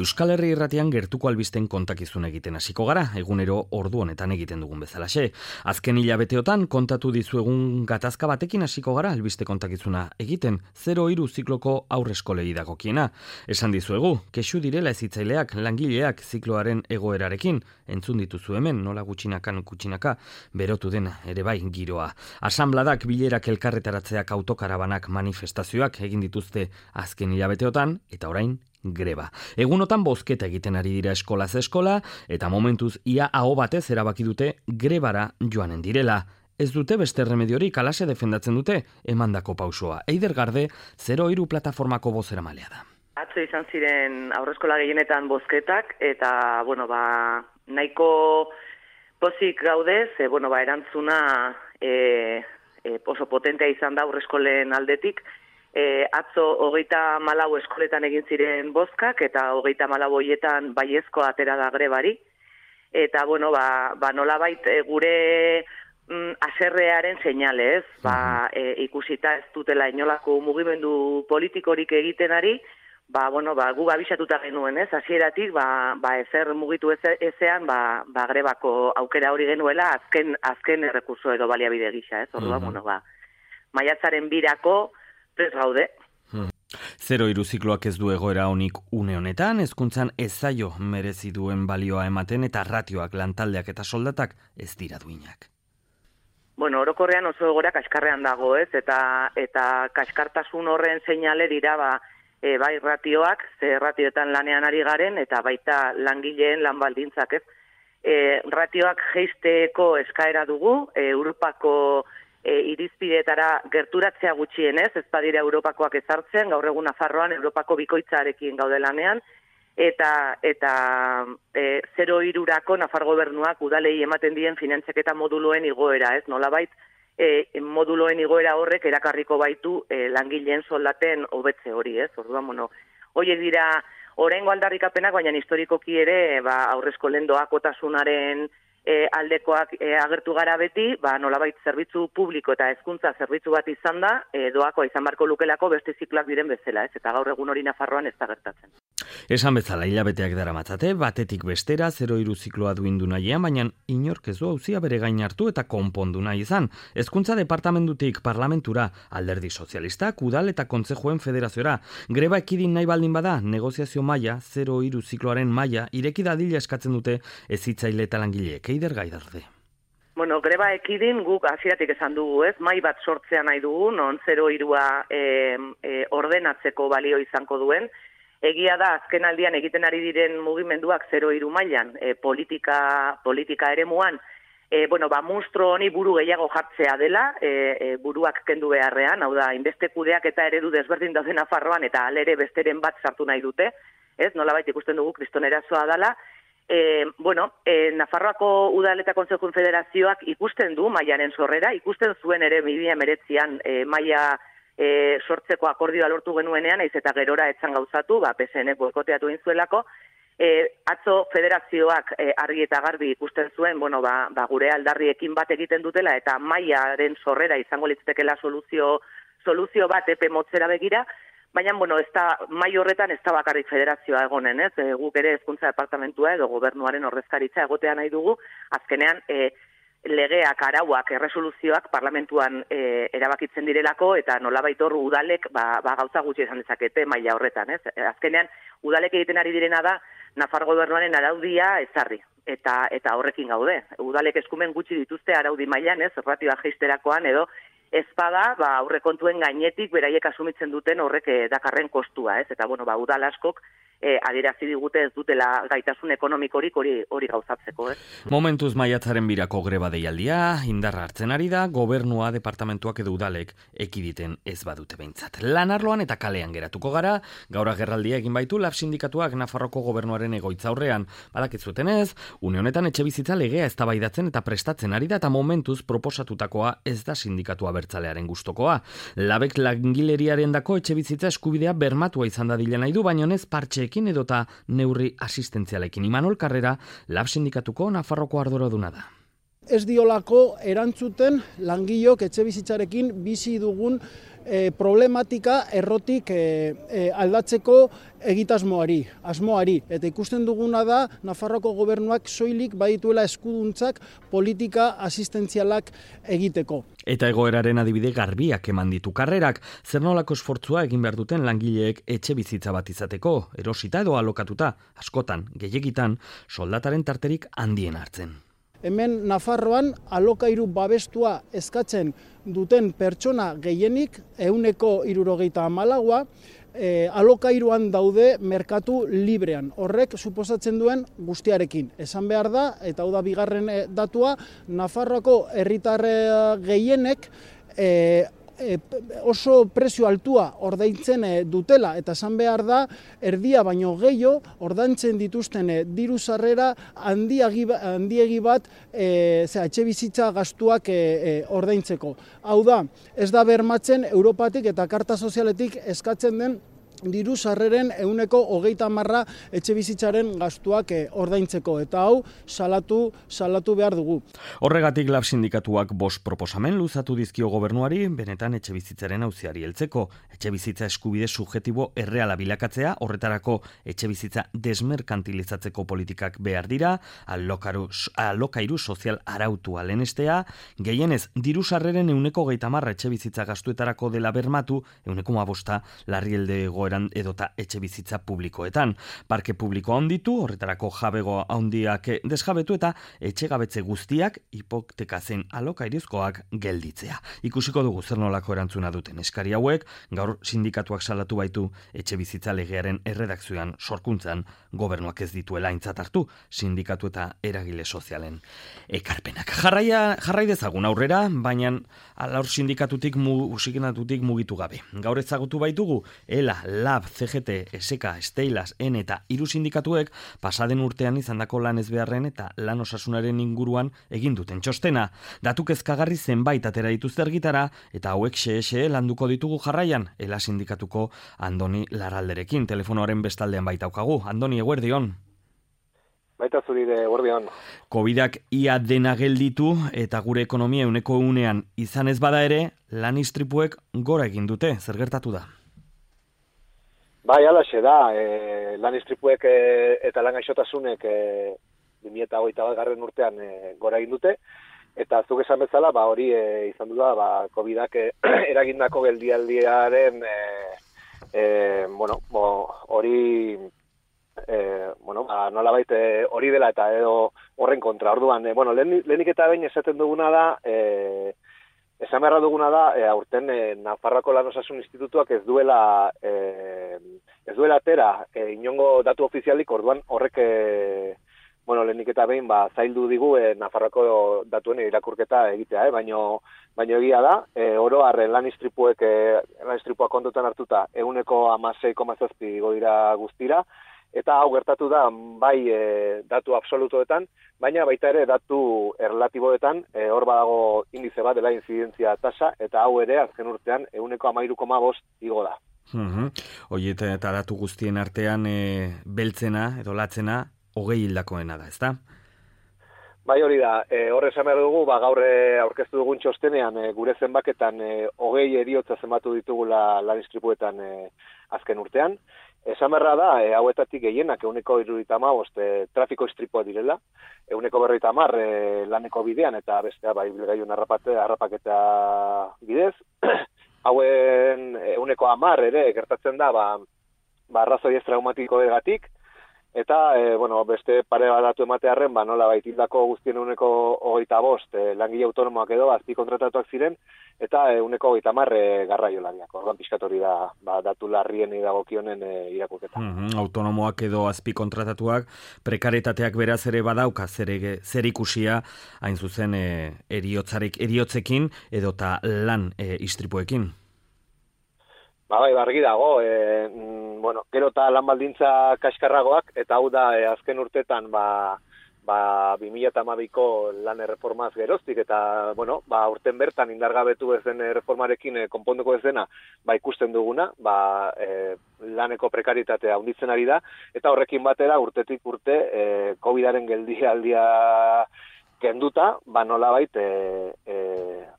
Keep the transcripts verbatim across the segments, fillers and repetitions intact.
Euskal Herri Irratian gertuko albisten kontakizun egiten hasiko gara, egunero ordu honetan egiten dugun bezalaxe. Azken hilabeteotan kontatu dizuegun gatazka batekin hasiko gara albiste kontakizuna egiten, zero hiru zikloko aurreskolei dagokiena. Esan dizuegu, kexu direla hezitzaileak, langileak zikloaren egoerarekin, entzun dituzu hemen, nola gutxinakan gutxinaka, berotu den ere bai giroa. Asanbladak, bilerak, elkarretaratzeak, autokarabanak, manifestazioak egin dituzte azken hilabeteotan, eta orain greba. Egunotan bozketa egiten ari dira eskolaz eskola, eta momentuz ia aho batez erabaki dute grebara joanen direla. Ez dute beste remediorik, alase defendatzen dute emandako pausoa. Eider Garde, zero hiru plataformako bozeramailea da. Atzo izan ziren aurreskola gehienetan bozketak, eta, bueno, ba, nahiko pozik gaude, ze, bueno, ba, erantzuna e, e, oso potentea izan da aurreskolen aldetik. E, atzo hogeita malau eskoletan egin ziren bozkak, eta hogeita malau hoietan baiezko atera da grebari. Eta, bueno, ba, ba nolabait e, gure mm, aserrearen seinale, ez? Ba, e, ikusita ez dutela inolako mugimendu politikorik egiten ari, ba, bueno, ba, gu abisatuta genuen, ez? Hasieratik, ba, ba, ezer mugitu eze, ezean, ba, ba, grebako aukera hori genuela, azken, azken errekurso edo baliabide gisa, ez? Orduan, bueno, ba, maiatzaren birako, ez gaude. Hmm. Zero hiru zikloak ez du egoera honik une honetan, hezkuntzan ez zaio merezi duen balioa ematen eta ratioak, lantaldeak eta soldatak ez dira duinak. Bueno, orokorrean oso egoera kaskarrean dago, ez? Eta eta kaskartasun horren seinale dira ba, e, bai ratioak, ze ratioetan lanean ari garen, eta baita langileen lan baldintzak, ez? E, ratioak jeisteko eskaera dugu, e, Europako E, irizpideetara gerturatzea gutxienez, ez badira Europakoak ezartzen, gaur egun Nafarroan Europako bikoitzarekin gaude lanean, eta eta e, zero hirurako Nafar gobernuak udalei ematen dien finantzaketa moduloen igoera, ez? Nolabait e, moduloen igoera horrek erakarriko baitu e, langileen soldaten hobetze hori, ez? Orduan, bueno, horiek dira oraingo aldarrikapenak, baina historikoki ere ba, aurreskolen doakotasunaren E, aldekoak e, agertu gara beti, ba, nolabait zerbitzu publiko eta hezkuntza zerbitzu bat izan da, e, doakoa izan barko lukelako beste zikloak diren bezala, ez? Eta gaur egun hori Nafarroan ez da gertatzen. Esan bezala, hilabeteak daramatzate, batetik bestera, zero hiru zikloa duindu nahian, baina inork ez du auzia bere gain hartu eta konpondu nahi izan. Hezkuntza departamentutik parlamentura, alderdi sozialistak, udal eta kontzejuen federaziora. Greba ekidin nahi baldin bada, negoziazio maila, zero hiru zikloaren maila, ireki dadila eskatzen dute hezitzaile eta langileek. Eider Garde. Bueno, greba ekidin guk hasieratik esan dugu, ez? Mai bat sortzea nahi dugu, non zero hirua e, e, ordenatzeko balio izango duen. Egia da, azken aldian egiten ari diren mugimenduak zero hiru mailan, e, politika, politika eremuan, e, bueno, ba, munstro honi buru gehiago jartzea dela, e, e, buruak kendu beharrean, hau da, inbeste kudeak eta eredu desberdin daude Nafarroan, eta alere besteren bat sartu nahi dute, ez? Nolabait ikusten dugu kristonerazoa dela. E, bueno, e, Nafarroako Udal eta Kontsejuen Federazioak ikusten du mailaren sorrera, ikusten zuen ere bi mila hemeretzian e, maila e, sortzeko akordioa lortu genuenean, naiz eta gerora etzan gauzatu, ba, P S N boikoteatu egin zuelako, e, atzo federazioak e, argi eta garbi ikusten zuen, bueno, ba, ba, gure aldarriekin bat egiten dutela, eta mailaren sorrera izango litzatekeela soluzio, soluzio bat epe motzera begira. Baina, bueno, ez da, mai horretan ez da bakarrik federazioa egonen, ez? E, guk ere hezkuntza departamentua edo gobernuaren ordezkaritza egotea nahi dugu, azkenean e, legeak, arauak, erresoluzioak parlamentuan e, erabakitzen direlako, eta nolabait hor udalek ba, ba, gauza gutxi esan dezakete maila horretan, ez? E, azkenean, udalek egiten ari direna da, Nafar gobernuaren araudia ezarri, eta eta horrekin gaude. Udalek eskumen gutxi dituzte araudi mailan, ez? Ratioa jeisterakoan edo, ezpada, ba, aurrekontuen gainetik beraiek asumitzen duten horrek eh, dakarren kostua, ez? Eta, bueno, ba, udal askok eh, adierazi digute ez dutela gaitasun ekonomikorik hori hori gauzatzeko, ez? Momentuz maiatzaren birako greba deialdia, indarra hartzen ari da, gobernua, departamentuak edo udalek ekiditen ez badute behintzat. Lanarloan eta kalean geratuko gara, gaur agerraldia egin baitu Lab sindikatuak Nafarroko gobernuaren egoitza aurrean. Badakizuten ez, une honetan etxebizitza legea eztabaidatzen eta prestatzen ari da, eta momentuz proposatutakoa ez da sindikatua bertzalearen gustokoa. Labek langileriarendako etxebizitza eskubidea bermatua izan dadila nahi du, baina ez partxeekin edota neurri asistentzialekin. Imanol Karrera, Lab sindikatuko Nafarroko arduraduna da. ez diolako erantzuten langilok etxebizitzarekin bizi dugun e, problematika errotik e, e, aldatzeko egitasmoari, asmoari. Eta ikusten duguna da, Nafarroako gobernuak soilik badituela eskuduntzak politika asistentzialak egiteko. Eta egoeraren adibide garbiak eman ditu karrerak, zer nolako esfortzua egin behar duten langileek etxe bizitza bat izateko, erosita edo alokatuta, askotan, gehiegitan, soldataren tarterik handien hartzen. Hemen Nafarroan alokairu babestua eskatzen duten pertsona gehienik, ehuneko hirurogeita hamalaua, e, alokairuan daude merkatu librean. Horrek suposatzen duen guztiarekin. Esan behar da, eta hau da bigarren datua, Nafarroako herritar gehienek e, E, oso prezio altua ordaintzen e, dutela, eta esan behar da, erdia baino gehiago ordaintzen dituzten e, diru sarrera handiegi, handiegi bat e, zera, etxe bizitza gastuak e, e, ordaintzeko. Hau da, ez da bermatzen Europatik eta Karta Sozialetik eskatzen den diru sarreren ehuneko hogeita hamarra etxe bizitzaren gastuak ordaintzeko, eta hau salatu salatu behar dugu. Horregatik Lab sindikatuak bost proposamen luzatu dizkio gobernuari, benetan etxe bizitzaren auziari heltzeko. Etxe bizitza eskubide subjektibo erreala bilakatzea, horretarako etxe bizitza desmerkantilizatzeko politikak behar dira, alokaru, alokairu sozial arautua lehenestea, gehienez diru sarreren ehuneko hogeita hamarra etxe bizitza gastuetarako dela bermatu, ehuneko hamabosta larrialde edota etxe bizitza publikoetan. Parke publikoa handitu, horretarako jabego handiak desjabetu eta etxegabetze guztiak hipoteka zein alokairizkoak gelditzea. Ikusiko dugu zer nolako erantzuna duten eskari hauek, gaur sindikatuak salatu baitu etxe bizitza legearen erredakzioan sorkuntzan gobernuak ez dituela aintzat hartu sindikatu eta eragile sozialen ekarpenak. Jarraia, jarrai dezagun aurrera, baina alaur sindikatutik, musikatutik mugitu gabe. Gaur ezagutu baitugu, ELA, Lab, C G T, S K, Steilas, N eta hiru sindikatuek pasaden urtean izandako lan ezbeharren eta lan osasunaren inguruan egin duten txostena. Datu kezkagarri zenbait atera dituzte argitara eta hauek xexe landuko ditugu jarraian, ELA sindikatuko Andoni Larralderekin. Telefonoaren bestaldean baitaukagu. Andoni, eguerdion. Baita zuri de eguerdion. Covidak ia dena gelditu eta gure ekonomia ehuneko ehunean izan ez bada ere, lan istripuek gora egin dute. Zer gertatu da? Bai, alaxe da, e, lan istripuek e, eta lan gaixotasunek e, bi mila hogeita bat garren urtean e, gora egin dute, eta zuk esan bezala, ba, hori e, izan du da, ba, Covidak e, eragindako geldialdiaren, e, e, bueno, bo, hori, e, bueno, ba, nolabait hori dela eta edo horren kontra, orduan, e, bueno, lehen, lehenik eta behin esaten duguna da, e, esan beharra duguna da, e, aurten e, Nafarroako Lan Osasun Institutuak ez duela e, ez duela atera e, inongo datu ofizialik, orduan horrek e, bueno, lehenik eta behin ba, zaildu digu e, Nafarroako datuen irakurketa egitea, eh? baino, baino egia da, e, oro harren lan istripuek e, lan istripuak kontutan hartuta ehuneko hamasei koma zazpi igo dira guztira, eta hau gertatu da bai e, datu absolutoetan, baina baita ere datu erlatiboetan, e, hor badago indize bat dela inzidentzia tasa, eta hau ere azken urtean ehuneko hamairu koma bost igo da. Uhum. Oiet eta datu guztien artean e, beltzena edo latzena hogei hildakoena da, ezta? Bai, hori da, e, horre esan behar dugu, ba, gaur e, aurkeztu dugun txostenean e, gure zenbaketan e, hogei eriotza zenbatu ditugula lan istripuetan e, azken urtean. Esan berra da, e, hauetatik gehienak ehuneko hirurogeita hamabost e, trafiko istripua direla, ehuneko berrogeita hamar e, laneko bidean eta bestea bai bilgailun harrapaketa bidez. Hauen ehuneko hamar ere gertatzen da, ba, ba arrazoi ez traumatikoegatik, eta e, bueno, beste pare bat datu ematearren, ba, nola baitildako guztien ehuneko hogeita bost e, langile autonomoak edo azpi kontratatuak ziren, eta ehuneko hogeita hamar e, garraio laniak. Orduan pixkat hori da ba, datu larrien dagokionen e, irakurketa. Mm-hmm. Autonomoak edo azpi kontratatuak prekaritateak beraz ere badauka zer, zer ikusia hain zuzen e, eriotzarik eriotzekin edota lan e, istripuekin. Ba, bai, bargi dago, e, mm, bueno, gero eta lan baldintza kaskarragoak, eta hau da e, azken urtetan ba, ba, bi mila hamabiko lan erreformaz geroztik, eta bueno, ba, urten bertan indargabetu ez den erreformarekin e, konponduko ez dena, ba, ikusten duguna, ba, e, laneko prekaritatea handitzen ari da, eta horrekin batera urtetik urte e, Covidaren geldialdia kenduta, ba nolabait e, e,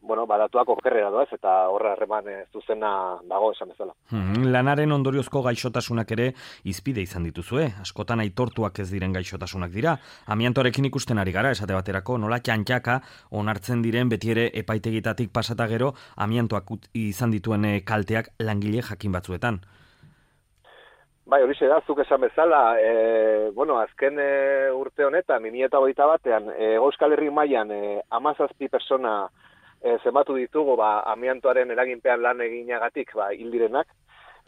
bueno, badatuak okerrera doaz, eta horra harreman e, zuzena dago esan bezala. Hmm, lanaren ondoriozko gaixotasunak ere izpide izan dituzue, askotan aitortuak ez diren gaixotasunak dira. Amiantoarekin ikusten ari gara, esate baterako, nola txantxaka onartzen diren beti ere epaitegitatik pasata gero, amiantoak izan dituen kalteak langile jakin batzuetan. Bai, hori da, zuk esan bezala, e, bueno, azken e, urte honetan, bi mila hogeita batean, e, Euskal Herri mailan e, hamazazpi persona e, zenbatu ditugu, ba, amiantoaren eraginpean lan eginagatik, ba, hil direnak.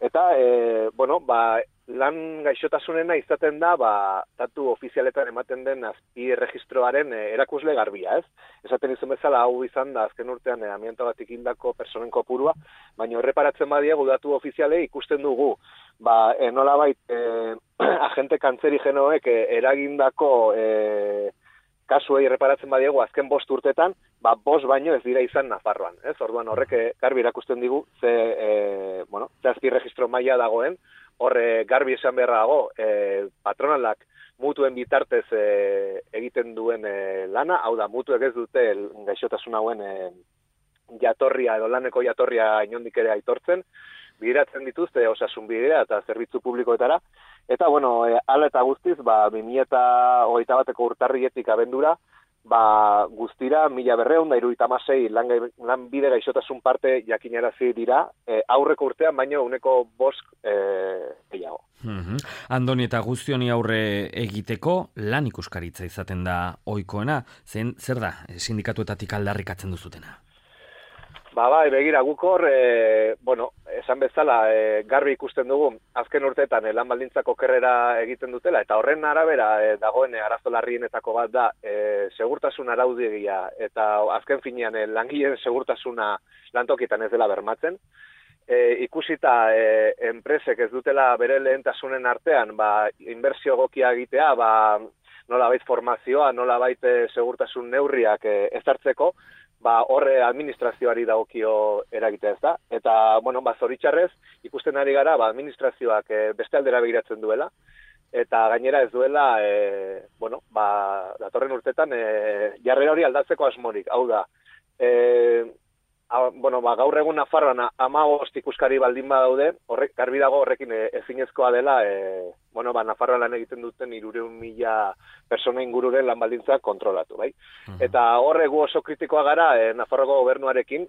Eta, e, bueno, ba, lan gaixotasunena izaten da, ba, datu ofizialetan ematen den azpi erregistroaren e, erakusle garbia, ez? Esaten izan bezala, hau izan da, azken urtean e, amiantoagatik hildako personen kopurua, baina erreparatzen badiegu datu ofiziale ikusten dugu, ba, e, nolabait, e, agente kantzerigenoek e, eragindako e, kasuei erreparatzen badiegu azken bost urtetan, ba, bost baino ez dira izan Nafarroan, ez? Orduan horrek garbi erakusten digu ze, e, bueno, ze azpi registro maila dagoen, horre garbi esan beharra dago, e, patronalak mutuen bitartez e, egiten duen e, lana, hau da, mutuek ez dute gaixotasun hauen e, jatorria edo laneko jatorria inondik ere aitortzen, bideratzen dituzte osasun bidea eta zerbitzu publikoetara, eta bueno, e, ala eta guztiz, ba, bi mila hogeita bateko urtarrietik abendura, ba, guztira, mila berreun da iruita amasei lanbide gaixotasun parte jakinarazi dira, e, aurreko urtean, baino uneko bost e, gehiago. Mm-hmm. Andoni, eta guztioni aurre egiteko lan ikuskaritza izaten da ohikoena, zen zer da sindikatuetatik aldarrikatzen duzutena? Ba, bai, begira, guk hor, e, bueno, esan bezala, e, garbi ikusten dugu, azken urteetan e, lan baldintzak okerrera egiten dutela, eta horren arabera e, dagoen e, arazo larrienetako bat da, e, segurtasun araudia, eta azken finean e, langileen segurtasuna lantokietan ez dela bermatzen. E, ikusita e, enpresek ez dutela bere lehentasunen artean, ba, inbertsio egokia egitea, ba, nolabait formazioa, nolabait e, segurtasun neurriak e, ezartzeko, ba, horre administrazioari dagokio eragitea ez da. Eta, bueno, ba, zoritxarrez, ikusten ari gara, ba, administrazioak e, beste aldera begiratzen duela, eta gainera ez duela, e, bueno, ba, datorren urtetan, e, jarrera hori aldatzeko asmorik. Hau da, e, a, bueno, ba, gaur egun Nafarroan hamabost ikuskari baldin badaude, horrek, garbi dago horrekin e, ezinezkoa dela, e, bueno, ba, Nafarroan lan egiten duten hirurehun mila persona ingururen lan baldintzak kontrolatu, bai? Uh-huh. Eta horregu oso kritikoa gara e, Nafarroko gobernuarekin,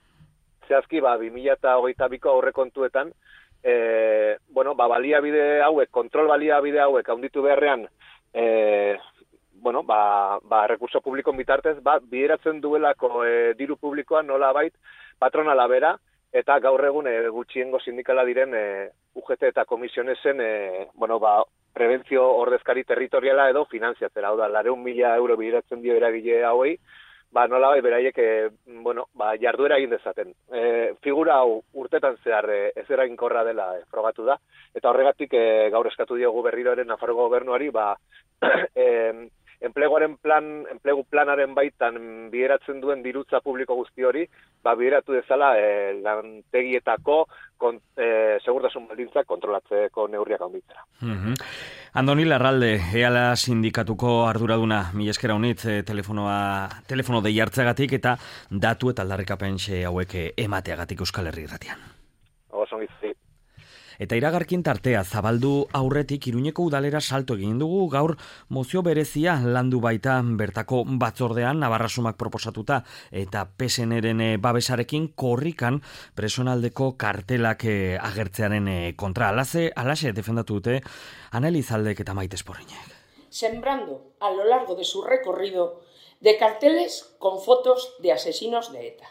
zehazki, ba, bi mila hogeita biko aurrekontuetan, e, bueno, ba, baliabide hauek, kontrol baliabide hauek haunditu beharrean, e, bueno, ba, ba, rekurso publikon bitartez, ba, bideratzen duelako e, diru publikoa nola bait, patronala bera, eta gaur egun e, gutxiengo sindikala diren e, U G T eta komisionesen, e, bueno, ba, prebentzio ordezkari territoriala edo finanziatzera, hau da, lareun mila euro bideratzen dio eragile hauei, ba, nola bai, beraiek, e, bueno, ba, jarduera egin dezaten. E, figura hau urtetan zehar e, ez eraginkorra dela e, frogatu da, eta horregatik e, gaur eskatu diogu berriroaren Nafarroko gobernuari, ba, e, enpleguaren plan, enplegu planaren baitan bideratzen duen dirutza publiko guzti hori, ba, bideratu dezala e, lantegietako kon, e, segurtasun baldintzak kontrolatzeko neurriak handitzera. Mm-hmm. Andoni Larralde, eala sindikatuko arduraduna, mila eskera honitz, e, telefonoa, telefono dei hartzeagatik eta datu eta aldarrikapen hauek emateagatik Euskal Herri Irratian. Oso ongizi. Eta iragarkin tartea zabaldu aurretik Iruñeko udalera salto egin dugu, gaur mozio berezia landu baita bertako batzordean Navarrasumak proposatuta eta P S N-ren babesarekin korrikan presonaldeko kartelak agertzearen kontra. Alaze, alaxe defendatu dute Aneliz Aldek eta Maite Esporriñek. Sembrando a lo largo de su recorrido de carteles con fotos de asesinos de ETA.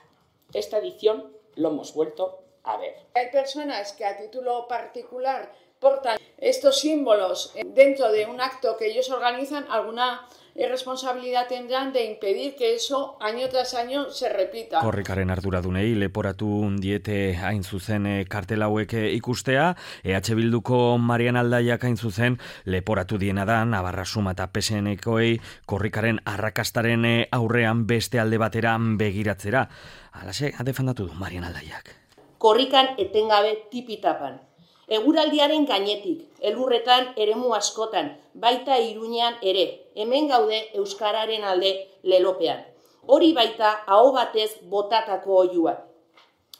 Esta edición lo hemos vuelto a ver. Hay personas que a título particular portan estos símbolos dentro de un acto que ellos organizan, alguna responsabilidad tendrán de impedir que eso año tras año se repita. Korrikaren arduradunei leporatu diete hain zuzen kartel hauek ikustea, E H Bilduko Marian Aldaiak hain zuzen leporatu diena da Navarrasuma eta P S N-koei korrikaren arrakastaren aurrean beste alde batera begiratzera. Halaxe, defendatu du Marian Aldaiak. Korrikan etengabe tipitapan. Eguraldiaren gainetik, elurretan eremu askotan, baita Iruñean ere, hemen gaude euskararen alde lelopean. Hori baita aho batez botatako oihua.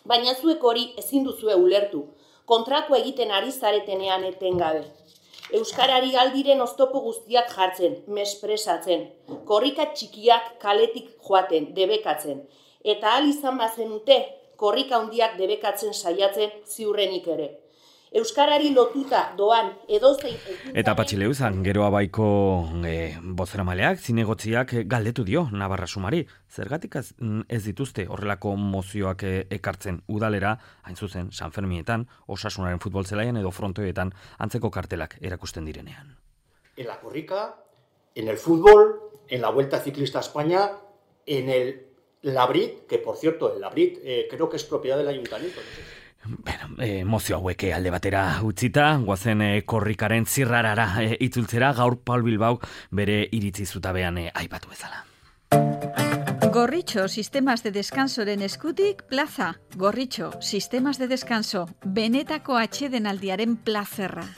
Baina zuek hori ezin duzue ulertu, kontrako egiten ari zaretenean etengabe. Euskarari aldiren oztopo guztiak jartzen, mespresatzen, korrika txikiak kaletik joaten, debekatzen, eta ahal izan bazenute, korrika handiak debekatzen saiatzen ziurrenik ere. Euskarari lotuta doan edozein... Eta Patxileuzan, geroa baiko e, bozeramaleak, zinegotziak galdetu dio Navarra Sumari. Zergatik ez, ez dituzte horrelako mozioak ekartzen udalera, hain zuzen, San Fermietan, Osasunaren futbol zelaian edo frontoetan antzeko kartelak erakusten direnean. En la corrica, en el fútbol, en la Vuelta Ciclista a España, en el Labrit, que por cierto, el Labrit eh, creo que es propiedad del ayuntamiento, no sé. Bueno, eh, mozio hauek alde batera utzita, guazen eh, korrikaren zirrarara eh, itzultzera, gaur Paul Bilbao bere iritzi zutabean eh, aipatu bezala. Gorritxo, sistemas de descansoren eskutik, plaza. Gorritxo, sistemas de descanso, benetako atsedenaldiaren plazerra.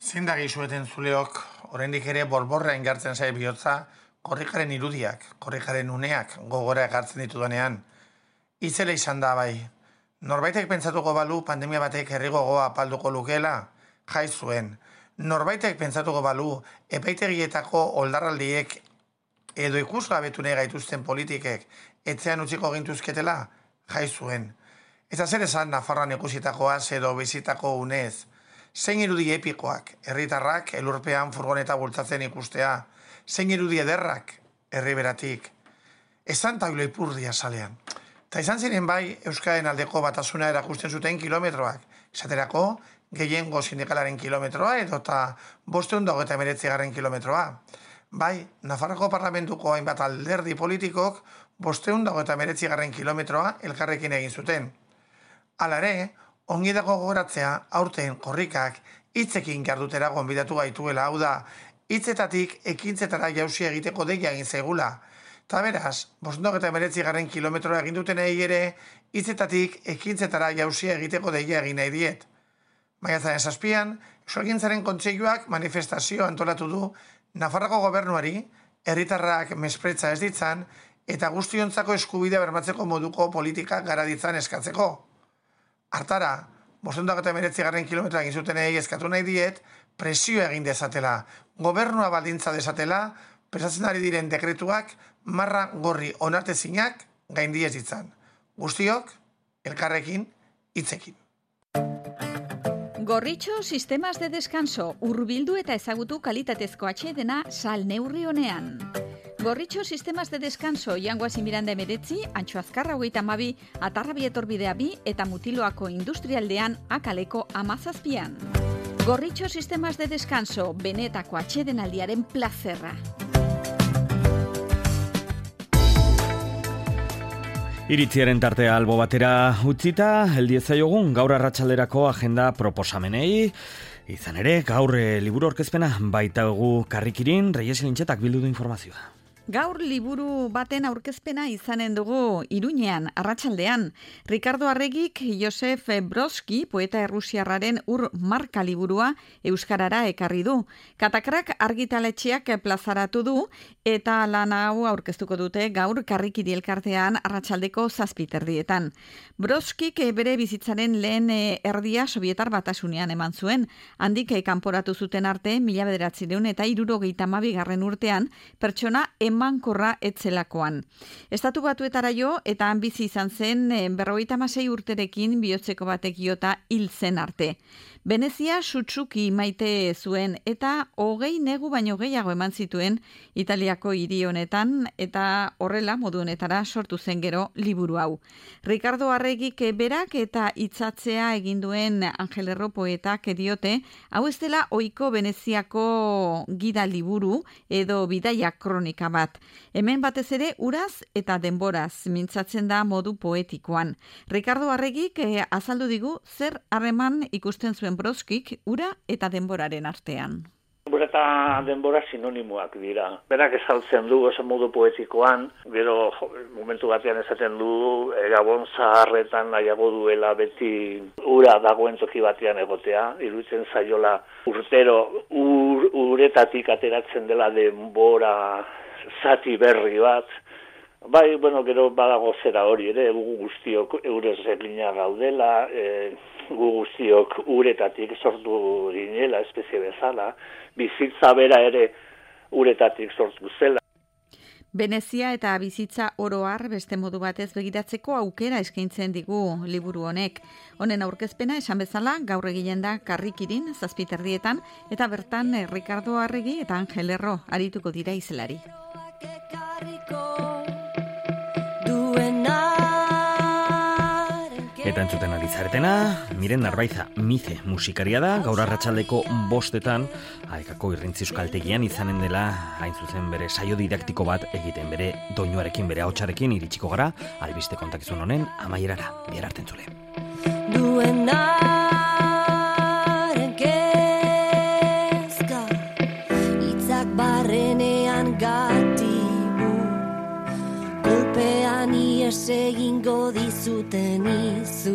Zindagi zueten zuleok, oraindik ere borborra ingartzen zai bihotza, korrikaren irudiak, korrikaren uneak gogora egartzen ditudanean. Itzela izan da bai. Norbaitek pentsatuko balu pandemia batek herri gogoa apalduko lukeela, jai zuen. Norbaitek pentsatuko balu epaitegietako oldarraldiek edo ikusgabetu nahi gaituzten politikek etxean utziko gintuzketela, jai zuen. Eta zer esan Nafarroan ikusitakoaz edo bizitako unez. Zein irudi epikoak, herritarrak elurpean furgoneta bultzatzen ikustea. Zein irudi ederrak, herri beratik. Esan taula ipurdia salean. Eta izan ziren bai, Euskaren aldeko batasuna erakusten zuten kilometroak. Esaterako, gehiengo sindikalaren kilometroa edo eta bosteun dago eta emeretzi garren kilometroa. Bai, Nafarroko parlamentuko hainbat alderdi politikok bosteun dago eta emeretzi garren kilometroa elkarrekin egin zuten. Hala ere, ongi dago gogoratzea aurten korrikak hitzekin jardutera gonbidatu gaituela, hau da, hitzetatik ekintzetara jauzi egiteko deia egin zaigula. Ta beraz, bostondok eta emeretzi garren kilometroa egin duten egi ere, hitzetatik ekintzetara jauzia egiteko deia egin nahi diet. Maiatzaren zazpian, Euskalgintzaren Kontseiluak manifestazio antolatu du Nafarroko gobernuari, herritarrak mespretza ez ditzan, eta guztiontzako eskubidea bermatzeko moduko politika gara ditzan eskatzeko. Hartara, bostondok eta emeretzi garren kilometroa egin zuten egi eskatu nahi diet, presio egin dezatela, gobernua baldintza dezatela, prestatzen ari diren dekretuak, marra gorri onartezinak gaindiez ditzan. Guztiok, elkarrekin, hitzekin. Gorritxo, sistemas de descanso, hurbildu eta ezagutu kalitatezko atsedena sal neurri honean. Gorritxo, sistemas de descanso, Jangoazi Miranda emeretzi, Antxo Azkarra hogeita hamabi, Atarrabi etorbidea bi eta Mutiloako industrialdean akaleko amazazpian. Gorritxo, sistemas de descanso, benetako atsedenaldiaren plazerra. Iritziaren tartea albo batera utzita, heldiezaiogun gaur arratsalderako agenda proposamenei. Izan ere, gaur e, liburu orkezpena baita egu karrikirin, Reyes Lintxetak bildu du informazioa. Gaur liburu baten aurkezpena izanen dugu Iruñean, arratsaldean. Ricardo Arregik Josef Brodsky, poeta errusiarraren ur marka liburua euskarara ekarri du. Katakrak argitaletxeak plazaratu du eta lan hau aurkeztuko dute gaur karrikiri elkartean arratsaldeko zazpiterdietan. Brodskik bere bizitzaren lehen erdia Sobietar Batasunean eman zuen. Handik kanporatu zuten arte, mila bederatziehun eta hirurogeita hamabigarren urtean, pertsona emankorra etzelakoan. Estatu Batuetara jo eta han bizi izan zen berrogeita hamasei urterekin bihotzeko batek jota hil zen arte. Venezia sutsuki maite zuen eta hogei negu baino gehiago eman zituen Italiako hiri honetan eta horrela modu honetara sortu zen gero liburu hau. Ricardo Arregik berak eta hitzatzea egin duen Angel Erro poetak diote, hau ez dela ohiko Veneziako gida liburu edo bidaia kronika bat. Hemen batez ere uraz eta denboraz mintzatzen da modu poetikoan. Ricardo Arregik eh, azaldu digu zer harreman ikusten zuen Brodskik ura eta denboraren artean. Denbora eta denbora sinonimoak dira. Berak esaltzen du oso modu poetikoan, gero jo, momentu batean esaten du e, Gabon zaharretan nahiago duela beti ura dagoen toki batean egotea, iruditzen zaiola urtero ur, uretatik ateratzen dela denbora zati berri bat. Bai, bueno, gero badago zera hori ere, gu guztiok eurez eglina gaudela, e, gu guztiok uretatik sortu ginela, espezie bezala, bizitza bera ere uretatik sortu zela. Venezia eta bizitza oro har beste modu batez begiratzeko aukera eskaintzen digu liburu honek. Honen aurkezpena esan bezala gaur eginen da Karrikirin zazpiterdietan eta bertan Ricardo Arregi eta Angel Erro arituko dira izelari. Eta entzuten ari zaretena, Miren Narbaiza, Mize musikaria da, gaur arratsaldeko bostetan, Aekako Irrintzi Euskaltegian izanen dela, hain zuzen bere saio didaktiko bat egiten, bere doinuarekin, bere ahotsarekin iritsiko gara, albiste kontakizun honen amaierara, bihar arte entzule. Duenaren kezka, itzak barrenean gatibu, kolpean ies egingo dizuten izu.